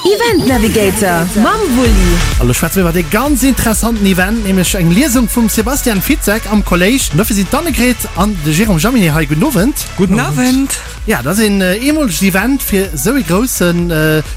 Event Navigator mam Wulli. A lo schwätze mir iwwer ee ganz interessanten Event, nämlech eng Liesung vum Sebastian Fitzek am Kolléisch. An dofir sinn d'Annegret an de Jérôme Jaminet hei. Gudden Owend. Gudden Owend. Ja, dat ass een eemolegt Event, fir esou ee grousse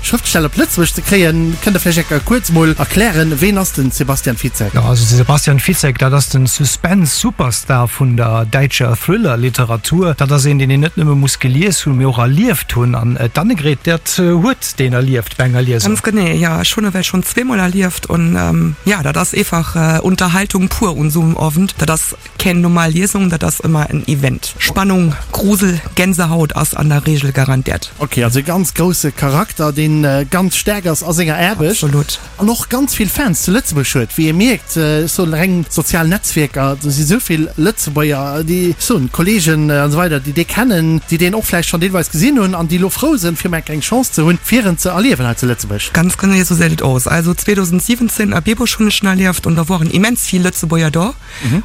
Schrëftsteller op Lëtzebuerg ze kréien. Kënnt Der vläicht eng Kéier kuerz mol erklären, ween ass den Sebastian Fitzek? Jo, also de Sebastian Fitzek, dat ass den Suspense-Superstar vun der däitscher Thriller-Literatur. Dat ass een, deen een net nëmme muss gelies hunn, mee och erlieft hunn. An d'Annegret, dat huet deen erlieft bei enger Liesung. Ganz genee, jo. Ech hunn ewell schonn zweemol erlieft und ja, dat ass eefach Unterhaltung pur un sou em Owend. Dat ass Keng normal Liesung, dat ass ëmmer en Event. Spannung, Grusel, Gänsehaut ass an der Regel garantiert. Ok, also e ganz grousse Charakter, deen ganz staark ass a senger Aarbecht. Absolut. An och ganz vill Fans zu Lëtzebuerg huet, wéi ee mierkt. Ech soen reng sozial Netzwierker, do si sou vill Lëtzebuerger, déi, ech soen Kollegen an esou weider, déi dee kennen, déi deen och vläicht schonn deelweis gesinn hunn an déi elo frou sënn, fir mol eng Chance ze hunn, fir en ze erliewen hei zu Lëtzebuerg. Ganz genee esou seet et aus. Also 2017 a Bieburg hunn ech en erlieft an da woaren immens vill Lëtzebuerger do.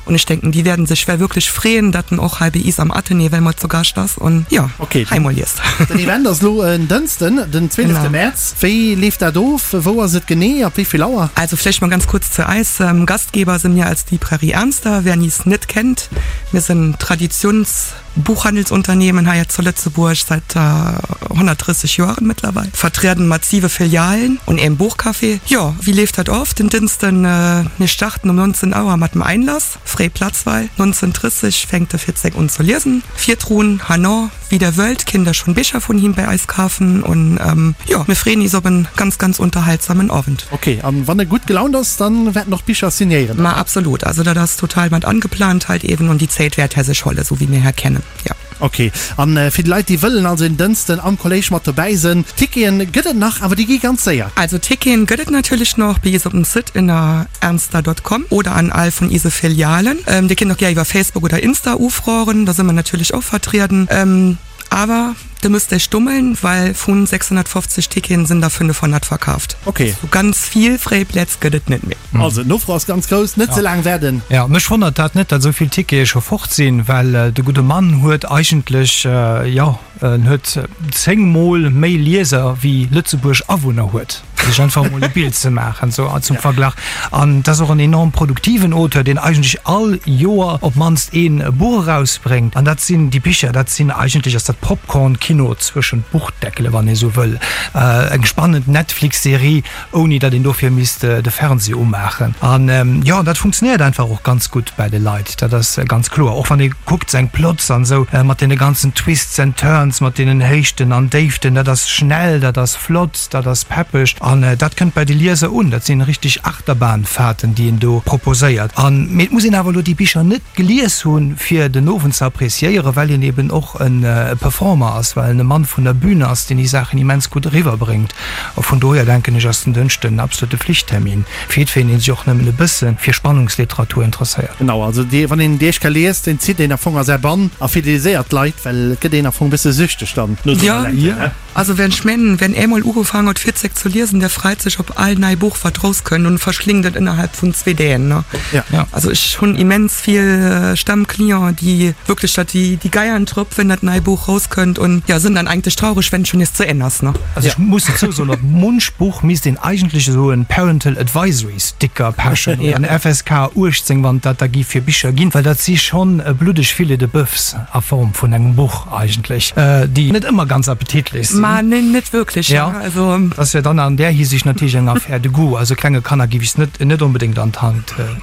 Und ech denken, déi werden sech well wierklech freeën, dat en och hei bei is am Athenée well mol zu Gascht ass und jo, Okay, hei mol liest. Den Event ass lo en Dënsten, den 12. Genau. März. Wéi leeft dat of? Wou ass et genee? Ab wéi vill Auer? Also vläicht mol ganz kurz zu eis. Gastgeber si mir als Librairie Ernster, wer is net kennt. Mir sinn Traditions. Buchhandelsunternehmen hei zu Lëtzebuerg seit 130 Joaren mittlerweil, vertrieden mat siwe Filialen und eem Buchcafé. Jo, wéi leeft dat of? Den Dënsten, mir starten um 19 Auer mat dem Einlass, fréi Platzwahl, 19:30 fänkt de Fitzek un zu liesen. Virdrun, herno, wéi der wëllt, kinnt der schon Bicher vun him bei eis kafen und jo, mir freeën is op en ganz, ganz unterhaltsamen Owend. Ok, an wann e gutt gelaunt ass, dann wäert en och d'Bicher signéieren? Ma absolut, also dat ass total mat angeplant halt eben und déi Zéit wäert hä sech holle, sou wéi mir hä kennen, jo. Ok, an fir déi Leit déi wëllen also en Dënsten am Kolléisch mat dobäi sënn, Ticketen gëtt et nach, awer déi gi ganz séier. Also Ticketen gëtt et natierlech nach bei is op dem Site ënner ernster.com oder an all vun ise Filialen. Dir kinnt och gär iwwer Facebook oder Insta ufroren, da së mer natierlech och vertrieden. Awer de müsst Iech stummeln, well vun 650 Ticketen sinn der 500 verkaaft. Ok. Sou ganz vill fréi Plätz gëtt et net méi. Also d'Nofro ass ganz grouss, net ze laang waarden. Jo, mech wonnert dat net, datt esou vill Tickete scho fort sinn, well de gudde Mann huet eigentlech, jo, en huet 10 mol méi Lieser wéi Lëtzebuerg Awunner huet. Fir sech einfach emol e Bild ze maachen, sou zum Verglach. An et ass och en enorm produktiven Auteur, deen eigentlech all Joer op d'mannst ee Buch erausbréngt. An dat sinn déi Bicher, dat sinn eigentlech ass dat Popcorn-Kino zwëschen d'Buchdeckele, wann ee sou wëll. Eng spannend Netflix-Serie, ouni datt een dofir misst de Fernseh umaachen. An jo, dat funktionéiert einfach och ganz gutt bäi de Leit, dat ass ganz kloer. Och wann ee kuckt seng Plots an esou, mat deene ganzen Twists and Turns, mat deenen Héichten an Déiften, dat ass schnell, dat ass flott. Dat ass peppeg an dat kënnt bei de Lieser un. Dat sinn richteg Achterbahnfahrten, déi en do proposéiert. An, mee et muss een awer elo déi Bicher net gelies hunn, fir den Owend ze appréciéieren, well hien eben och e Performer ass, well en e Mann vun der Bühn ass, deen déi Saachen immens gutt eriwwerbréngt. A vun dohier, denken ech, ass den Dënschden en absolute Flichttermin fir jiddwereen, dee sech och nëmmen e bësse fir Spannungsliteratur interesséiert. Genau, also dee, wann een déi éischt Kéier liest, deen zitt een am Fong a säi Bann a fideliséiert d'Leit, well et gëtt een am Fong e bësse süchteg dann no senger Lecture, ne? Also wenn ech mengen, wenn eemol ugefaang huet Fitzek ze liesen, der freit sech op all nei Buch wat rauskënnt und verschlingt et innerhalb vun zwee Däen ne. Ja. Also ech hunn immens vill Stammclienten déi wierklech dat déi déi geiern drop wenn dat nei Buch rauskënnt und ja sinn dann eigentlech traureg wenn et schon nees zu Enn ass ne. Also ech muss dozou soen, op munch Buch misst een eigentlech esou en Parental Advisory Sticker pechen oder en FSK 18 wann et dat da gi fir Bicher ginn, well dat si schonn bluddeg Filets de Boeufs a Form vun engem Buch. Eigentlech, déi net ëmmer ganz appetitlech sinn. Ma neen, net wierklech, ja. Also. Dat ass jo dann an där Hisiicht natierlech eng Affaire de goût. Also klenge Kanner géif ech s net, net onbedéngt an d'Hand ginn.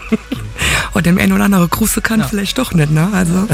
Oh, dem een oder anere grouse Kand vläicht och net, ne? Also.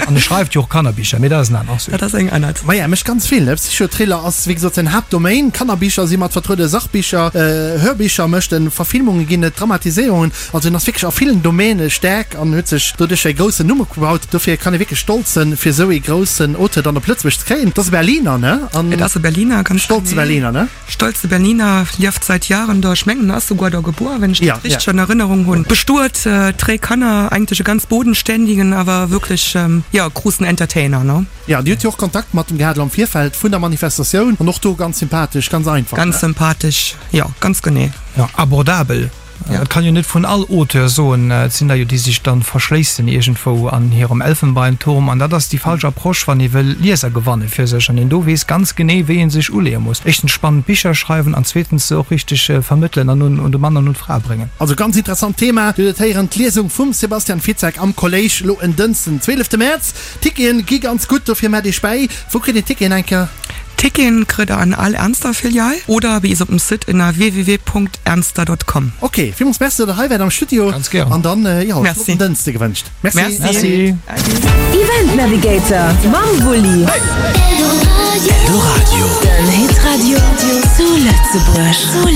An e schreift jo och Kannerbicher, mee dat ass en anert Sujet. Dat ass eng anert. Maja, e mécht ganz vill, ne? Psychothriller ass, wéi gesot, säin Haaptdomain. Kannerbicher si mat vertrueden, Sachbicher, Hörbicher mécht en, Verfilmunge ginn et, Dramatiséierungen. Also en ass wierklech a villen Domäne staark an huet sech doduerch e groussen Numm opgebaut. Dofir kann ee wierklech stolz sënn, fir esou ee groussen Auteur dann op Lëtzebuerg ze kréien. Et ass e Berliner, ne? An Et ass e Berliner, ganz stolze genee. Berliner, ne? Stolze Berliner, lieft seit Jahren do. Ech mengen, en ass souguer do gebuer, wenn ech dat Ja, ja. richteg an Erënnerung hunn. Bestuet, dréi Kanner, eigentlech e ganz bodenständigen, awer wierklech, jo, gruussen Entertainer, ne? Ja, Dir hutt jo och Kontakt mat dem gehat elo am Virfeld vun der Manifestatioun an och do ganz sympathesch, ganz einfach, Ganz ne? sympathesch, jo, ganz genee. Jo, abordabel. Et kann jo net vun all Auteur soen, et sinn der jo, déi sech dann verschléissen iergendwou an hirem Elfenbeinturm an dat ass déi falsch Approche, wann ee wëll Lieser gewanne fir sech an een do weess ganz genee, wéi ee sech uleeë muss. Éischtens spannend Bicher schreiwen an zweetens se och richteg vermëttelen an un de Mann an un d'Fra bréngen. Also ganz interessant Thema. Dir huet et héieren, d'Liesung vum Sebastian Fitzek am Kolléisch lo en Dënsten, 12 Mäerz. Ticketen gi ganz gutt, dofir mellt iech bäi. Wou kritt een Ticketen eng Kéier? Ticketen kritt der an all Ernster Filial oder bei is op dem Site ënner www.ernster.com. Ok, villmools Merci, datt der hei waart am Studio. Ganz gären. An dann, jo, Merci. flotten Dënste gewënscht. Merci. Merci. Event Navigator mam Wulli. Eldoradio. Den Hitradio zu Lëtzebuerg.